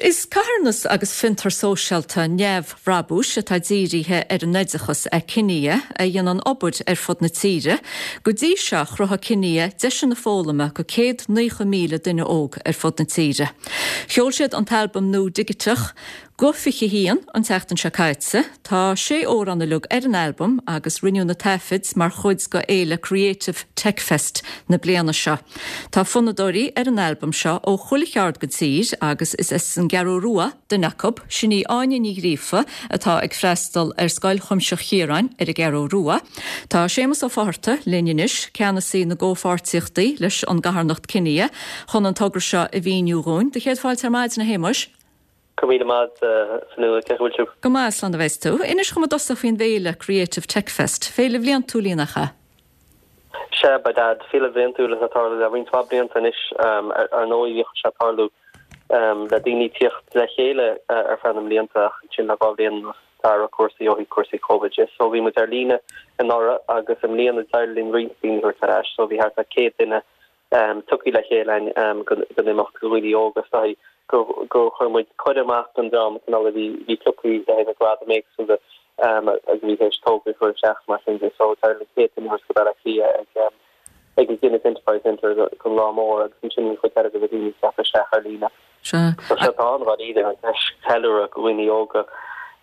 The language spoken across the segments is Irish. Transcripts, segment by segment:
Is carthanas agus fiontar sóisialta neamhbhrabúis atá dírithe ar an oideachas é Kinia, a dhéanann obair ar fud na tíre. Go dtí seo, chruthaigh Kinia deiseanna foghlama go 190,000 duine óg ar fud na tíre. Sheol siad an t-albam nua digiteach, Guth 21, an tseachtain seo caite. Tá sé amhrán uilig ar an albam agus rinneadh na taifid mar chuid de fhéile Creative Tech Fest na bliana seo. Tá fonnadóirí ar an albam seo ó chuile cheard den tír agus is as an gCeathrú Rua duine acu, sin í Áine Ní Ghríofa atá ag freastal ar Scoil Chuimsitheach Chiaráin ar an gCeathrú Rua. Tá Séamus Ó Fátharta linn anois, ceannasaí na gcomhpháirtíochtaí leis an gcarthanacht Kinia, chun an togra seo a mhíniú dhúinn. Do chéad fáilte ar maidin, a Shéamuis. Go raibh míle maith agat, a Fionnuala. Cén chaoi a bhfuil tú? Go maith, slán a bheas tú. Inis dhom i dtosach faoin bhféile Creative Tech Fest. Féile bhliantúil í, nach ea? Sea, by dad. Féile bhliantúil atá ag tarlú le roinnt mhaith blianta anois. Ar ndóigh, bhíodh sé ag tarlú le daoine tíocht le chéile ar feadh na mblianta ach ansin le 2 bhliain anuas d'athraigh cúrsaí ó thaobh cúrsaí Covid de. So bhí muid ar líne anuraidh agus i mbliana d'éirigh linn roinnt daoine a thabhairt ar ais. So bhí thart ar 100 duine tugtha le chéile againn don imeacht do dhaoine óga is dóigh gur chuir muid cuireadh amach don dream cineál a bhí bhí pioctha le haghaidh na gradaim éagsúla agus a bhí théis tograí a chur isteach mar sin de. So d'éirigh linn 100 duine a thabhairt go Baile Átha Cliath ag ag an Guinness Enterprise Centre don lá mór agus ansin an chuid eile de na daoine teacht isteach ar líne. Sea. So sé atá ann dháiríre an deis ceiliúradh do dhaoine óga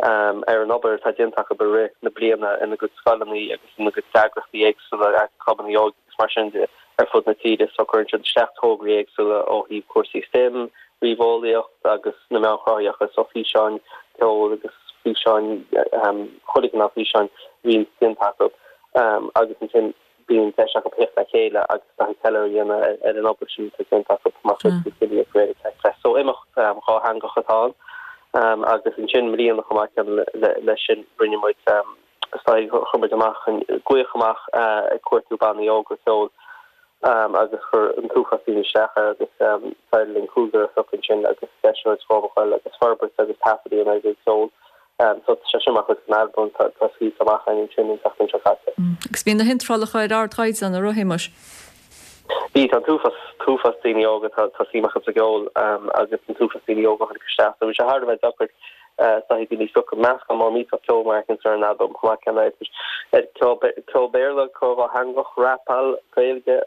ar an obair atá déanta acu i rith na bliana ina gcuid scoileanna agus ina gcuid eagraíochtaí éagsúla, clubanna óige agus mar sin de ar fud na tíre. So cuireann siad isteach tograí éagsúla ó thaobh cúrsaí STEM, ríomheolaíocht agus na meáin chruthaitheacha, so físeáin, ceol agus físeáin, chuile chineál físeáin a bhíonn déanta acu agus ansin bíonn deis acu theacht le chéile agus taithí ceiliúradh a dhéanamh ar an obair sin atá déanta acu mar chuid de Kinia Creative Tech Fest. So imeacht dhátheangach atá ann agus ansin i mbliana chomh maith céanna leis sin rinne muid is dóigh chuir muid amach an glaoch amach ag cuartú bannaí óga ceoil agus chuir an t-uafás daoine isteach air agus d'éirigh linn cúigear a phiocadh ansin agus deis a thabhairt dhóibh a ghoil agus forbairt agus taifead a dhéanamh ar a gcuid ceoil. So tá sé sin mar chuid den albam atá scaoilte amach againn ansin an tseachtain seo caite. Agus bhí na hiontrálacha ar ardchaighdeán, a raibh, a Shéamuis? Bhí, tá an t-uafás, t-uafás daoine óga, tá tá suim acu sa gceol agus an t-uafás daoine óga a tháinig isteach. So bhí sé thar a bheith deacair is dóigh daoine a phiocadh. Meascán mór millteach ceoil mar a fheiceann tú ar an albam chomh maith céanna idir ceol ceol Béarla, ceol dhátheangach, rapáil, Gaeilge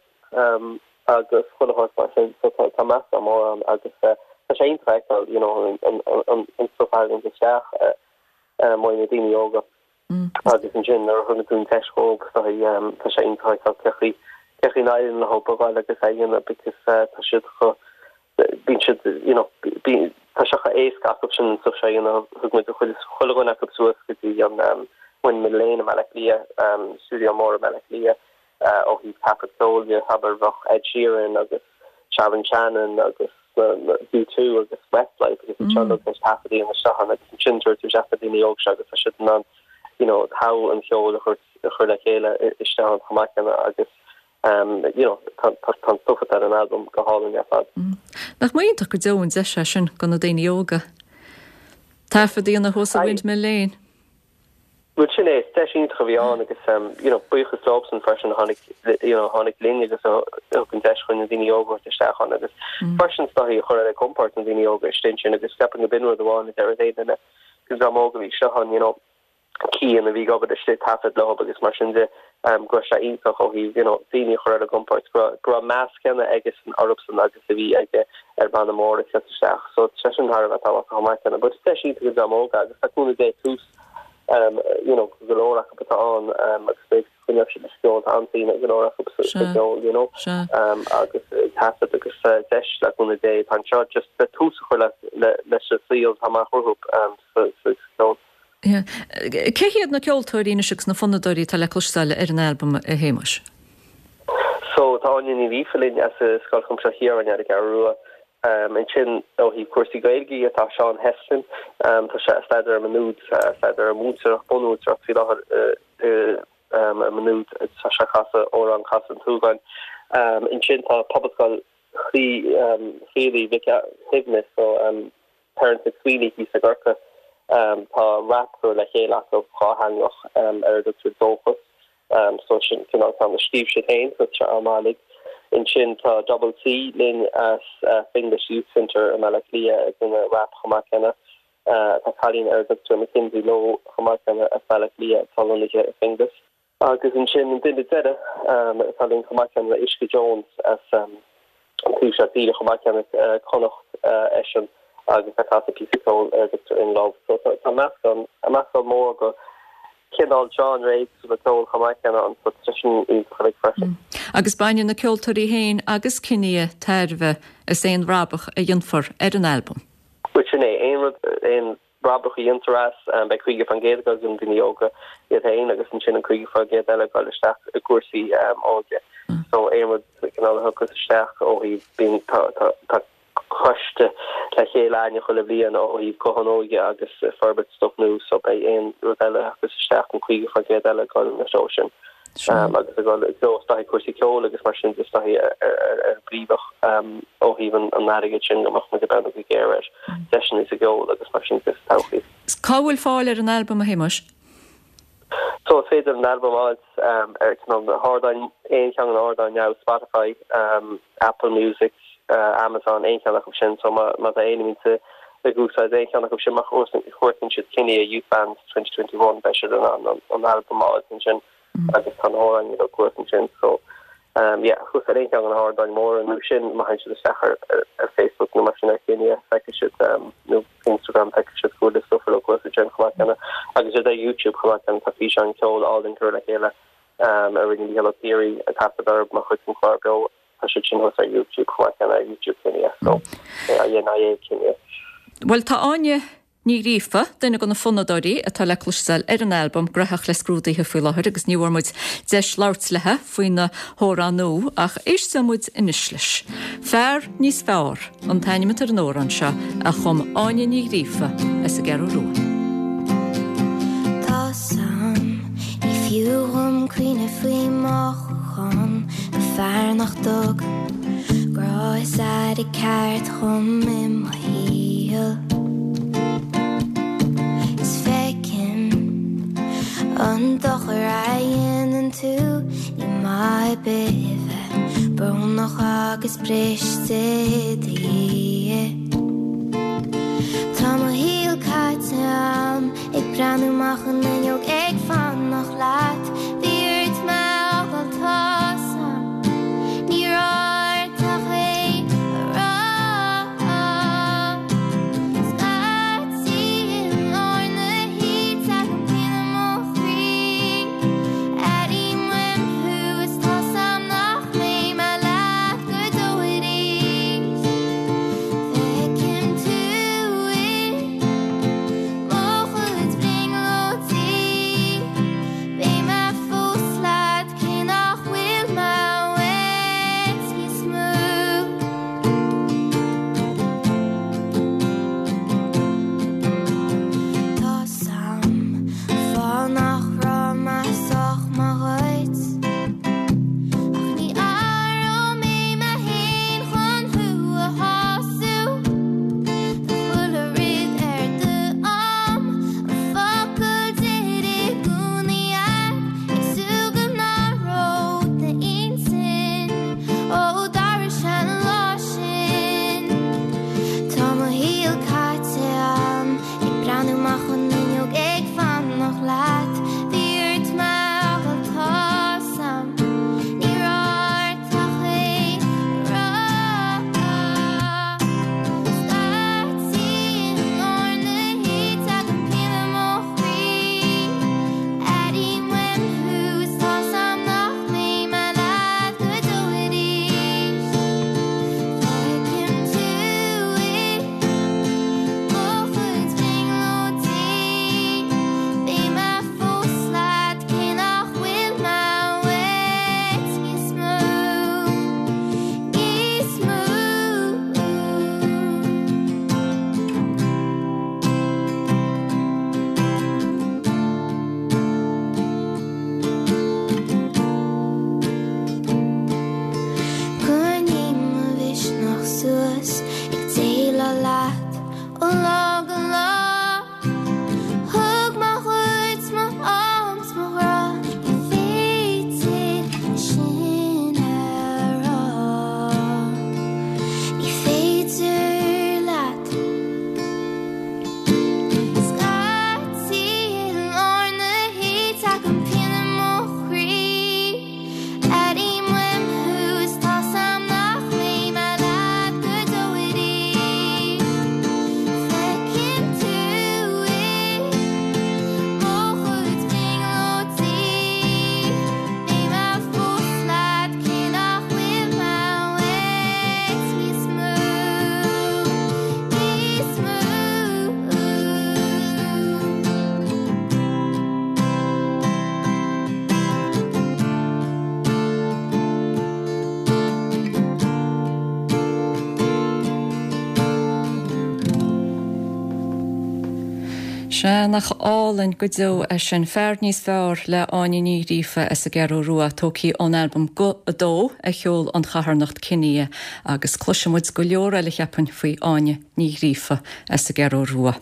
agus chuile shórt mar sin. So tá tá meascán mór ann agus tá sé iontach a fheiceáil you know an an an stuff a thagann isteach uaidh na daoine óga. Agus ansin nuair a thugann tú an deis dhóibh is dóigh tá sé iontach a fheiceáil cé chaoi cé chaoi n-éiríonn leo a ghoil agus é a dhéanamh because tá siad chomh bíonn siad you know bíonn tá sé chomh éasca acu sin an stuff seo a dhéanamh. Thug muid chuile chuile dhuine acu suas go dtí an Windmill Lane i mBaile Átha Cliath, stiúideo mór i mBaile Átha Cliath ó thaobh taifead ceoil de, abair bheadh Ed Sheeran agus Sharon Shannon agus U2 agus Westlife agus iad seo uilig tar éis taifead a dhéanamh isteach ann agus ansin tabhair tú isteach na daoine óga seo agus tá siad in ann you know togha an cheoil a chur a chur le chéile isteach ann chomh maith céanna agus you know tá tá tá an stuff atá ar an albam go hálainn ar fad. Nach iontach go deo an deis é sin do na daoine óga. Taifead a dhéanamh thuas i Windmill Lane. Bhuel sin é, is deis iontach a bhí ann agus you know buíochas leobsan freisin a tháinig you know tháinig linn agus a thug an deis chun na daoine óga a thabhairt isteach ann agus freisin is dóigh a chur ar a gcompord na daoine óga istigh ansin agus ceapaim go b'in rud amháin a deir aon duine den dream óg a bhí istigh ann you know Cian a bhí ag obair istigh taifead leo agus mar sin de go raibh sé iontach ó thaobh you know daoine a chur ar a gcompord go raibh go raibh meas céanna aigesan orthusan agus a bhí aige ar banna mór ag teacht isteach so tá sé sin thar a bheith tábhachtach chomh maith céanna but is deis iontach don dream óg agus tá cúnamh Dé tús um you know go leor acu atá ann um agus beidh coinneoidh siad leis an gceol tá an-suim ag go leor acu sa Sea. gceol you know Sea. um agus taifead agus deis le cúnamh Dé atá anseo just le tús a chur le le leis an saol atá amach rompu um sa sa cheol. Cé hiad na ceoltóirí anois agus na fonnadóirí atá le cloisteáil ar an albam, a Shéamuis? So, tá Áine Ní Ghríofa linn as Scoil Chuimsitheach Chiaráin ar an gCeathrú Rua. Ansin, ó thaobh cúrsaí Gaeilge dhe, tá Seán Heslin, tá sé ag staidéar i Maigh Nuad, ag staidéar ar mhúinteoireacht, bunmhúinteoireacht faoi láthair i Maigh Nuad, tá sé ag casadh amhrán Casadh an tSúgáin. Ansin tá Pobalscoil Chríostaí Mhic Shuibhne, so, Terence McSweeney thíos i gCorcaigh. Tá rap curtha le chéile acu, dhátheangach, ar a dtugtar Dóchas. So sin cineál ceann a scríobh siad féin, so tá sé an-mhaith uilig. Ansin tá Double C linn as Finglas Youth Centre i mBaile Átha Cliath ag déanamh rap chomh maith céanna. Tá cailín ar a dtugtar Mackenzie Lowe chomh maith céanna as Baile Átha Cliath atá lonnaithe i Finglas. Agus ansin an duine deiridh atá linn chomh maith céanna ná Uisce Jones as an taobh seo tíre chomh maith céanna, Connacht eisean agus tá casadh píosa ceoil ar a dtugtar In Love. So tá meascán, meascán mór de chineál genre éagsúla ceoil chomh maith céanna ann so tá sin iontach uilig freisin. Agus bainfidh na ceoltóirí féin agus Kinia tairbhe as aon bhrabach a dhéanfar ar an albam. Bhuel sin é, aon rud, aon bhrabach a dhéantar as, beidh 50% ag dul do na daoine óga iad féin agus ansin an 50% eile ag dul isteach i gcúrsaí óige. So aon rud cineál a thiocfas isteach ó thaobh, bíonn, tá, tá, tá coiste le chéile againne chuile bhliain ó thaobh Guth an Óige agus forbairt stuff nua so beidh aon rud eile a thiocfas isteach, an 50% eile ag dul ina threo sin. Agus ag dul i dtreo is dóichí cúrsaí ceoil agus mar sin de is dóichí ar an bpríomhach ó thaobh an airgid sin go mbeadh muid ag breathnú go géar ar deiseanna sa gceol agus mar sin de sa todhchaí. Cá bhfuil fáil ar an albam, a Shéamuis? So is féidir an albam a fháilt ar cineál na hardáin, aon cheann de na hardáin now, Spotify, Apple Music, Amazon, aon cheann acu sin. So má tá éinne muinte ag úsáid aon cheann acu sin, má chuartaíonn siad Kinia Youth Bands 2021 beidh siad in ann an albam a fháilt ansin agus tá na hamhráin uilig thuas ansin. So yeah, thuas ar aon cheann de na hardáin mhóra nó sin má théann siad isteach ar ar Facebook nó mar sin ar Kinia feicfidh siad nó Instagram feicfidh siad go bhfuil stuff uilig thuas ansin chomh maith céanna agus iad ar YouTube chomh maith céanna tá físeán ceoil álainn curtha le chéile a rinne Mícheál Ó Ciaraidh ag taifead orthu mar chuid den chlár beo. Tá siad sin thuas ar YouTube chomh maith céanna, ar YouTube Kinia, so K-I-N-I-A, Kinia. Bhuel, tá Áine Ní Ghríofa, duine de na fonnadóirí atá le cloisteáil ar an albam, graitheach le scrúduithe faoi láthair agus ní bhfuair muid deis labhairt léi faoina hamhrán nua ach éistfidh muid anois leis. Fear Níos Fearr an t-ainm atá ar an amhrán seo a chum Áine Ní Ghríofa as an gCeathrú Rua. Tá 's a'm, ní fiú dhom caoineadh faoi mothúcháin do fear nach dtugann grá is aire ceart dhom i mo shaol. Is feicim an dochar a dhéanann tú, ní maith ar bith a bheith brónach agus briste i do dhiaidh. Tá mo shaol caite a'm ag breathnú amach an fhuinneog ag fanacht leat. Bhí ort mé a fhágáil tá 's a'm. Ní raibh ort ach é a rá. Scaití i lár na hoíche tagann pian i mo chroí. Airím uaim thú is tá 's a'm nach mbeidh mé leat go deo arís. Feicim tú i mo chuid brionglóidí. Beidh mé fós. Sea, nach álainn go deo é sin. Fear Níos Fearr le Áine Ní Ghríofa as an gCeathrú Rua, tógtha ón albam Guth 2 a sheol an charthanacht Kinia agus cloisfidh muid go leor eile cheapfainn faoi Áine Ní Ghríofa as an gCeathrú Rua.